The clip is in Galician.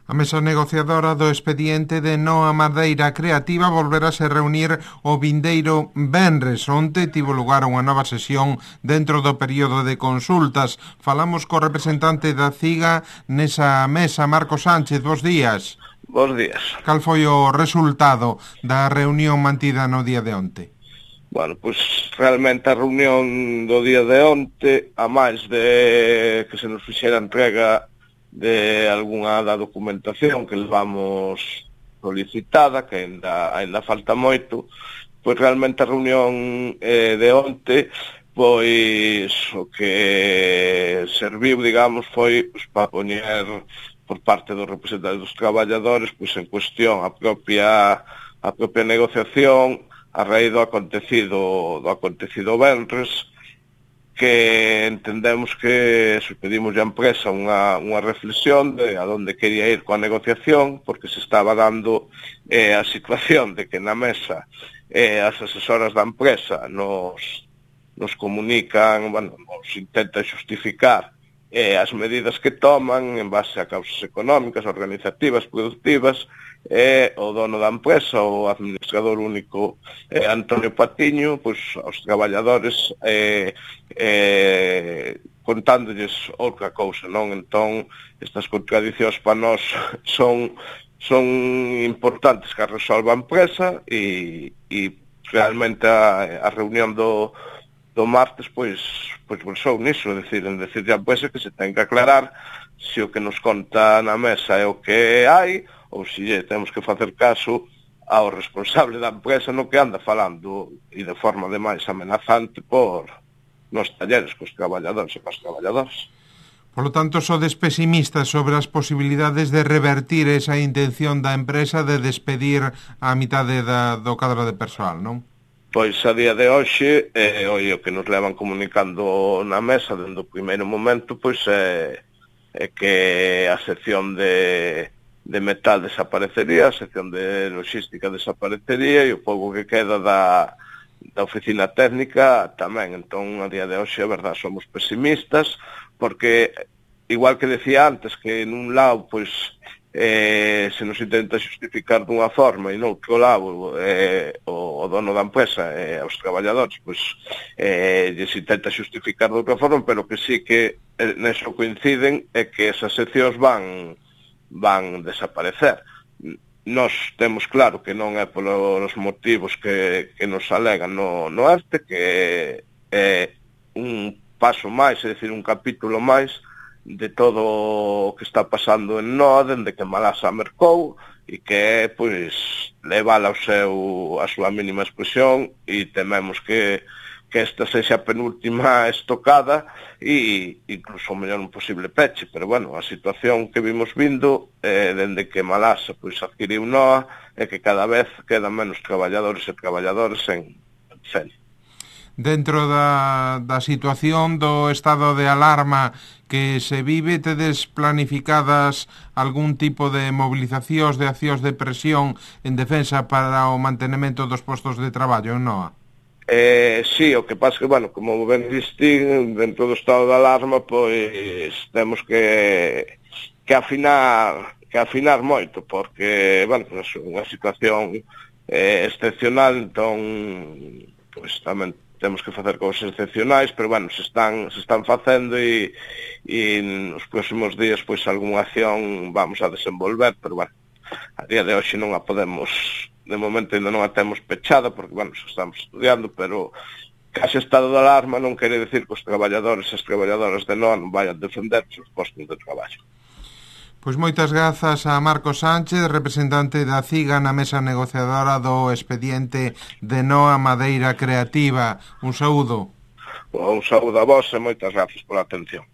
A mesa negociadora do expediente de Noa Madeira Creativa volverase reunir o vindeiro venres. Onte tivo lugar unha nova sesión dentro do período de consultas. Falamos co representante da CIGA nesa mesa, Marcos Sánchez. Bos días. Bos días. Cal foi o resultado da reunión mantida no día de onte? Bueno, pois realmente a reunión do día de onte, a máis de que se nos fixera entrega de algunha da documentación que levamos solicitada, que ainda falta moito, pois realmente a reunión de onte, pois o que serviu, digamos, foi pois, para poñer por parte dos representantes dos traballadores pois en cuestión a propia negociación a raíz do acontecido venres, que entendemos que pedimos a empresa unha reflexión de a donde quería ir coa negociación, porque se estaba dando a situación de que na mesa as asesoras da empresa nos comunican, nos intentan xustificar as medidas que toman en base a causas económicas, organizativas, productivas, o dono da empresa, o administrador único Antonio Patiño, pois aos traballadores contándolles outra cousa, non? Entón, estas contradicións para nós son importantes que a resolva a empresa e realmente a reunión do martes pois versou niso, en decirle a empresa que se ten que aclarar se o que nos conta na mesa é o que hai ou se temos que facer caso ao responsable da empresa no que anda falando e de forma demais amenazante por nos talleres cos traballadores e cos traballadoras. Por lo tanto, sodes pesimistas sobre as posibilidades de revertir esa intención da empresa de despedir a mitade do cadro de persoal, non? Pois a día de hoxe, o que nos levan comunicando na mesa dende o primeiro momento, pois é que a sección de metal desaparecería, a sección de logística desaparecería e o pouco que queda da oficina técnica tamén. Entón, a día de hoxe, a verdade, somos pesimistas, porque, igual que decía antes, que nun lado, pois, se nos intenta xustificar dunha forma e noutro lado o dono da empresa e os traballadores pois lles intenta xustificar de outra forma, pero que sí que neso coinciden é que esas seccións van desaparecer. Nós temos claro que non é polos motivos que nos alegan no ERTE, que é un paso máis, é dicir, un capítulo máis de todo o que está pasando en Noa, dende que Malasa mercou, e que é, pois, levala a súa mínima expresión, e tememos que esta sexa a penúltima estocada e incluso o mellor un posible peche, pero bueno, a situación que vimos vindo dende que Malasa pois adquiriu Noa é que cada vez quedan menos traballadores e traballadoras en Fene. Dentro da situación do estado de alarma que se vive, tedes planificadas algún tipo de movilizacións, de accións de presión en defensa para o mantenimento dos postos de traballo en Noa? Sí, o que pasa que, bueno, como ben distín, dentro do estado de alarma, pois temos que afinar moito, porque, bueno, é unha situación excepcional, entón, pois tamén temos que facer cousas excepcionais, pero, bueno, se están facendo e nos próximos días, pois, algunha acción vamos a desenvolver, pero, bueno, a día de hoxe non a podemos, de momento ainda non a temos pechada, porque, bueno, estamos estudiando, pero case estado de alarma non quere decir que os traballadores e as traballadoras de Noa non vayan defender os seus postos de traballo. Pois moitas grazas a Marcos Sánchez, representante da CIGA na mesa negociadora do expediente de Noa Madeira Creativa. Un saúdo. Un saúdo a vos e moitas grazas pola atención.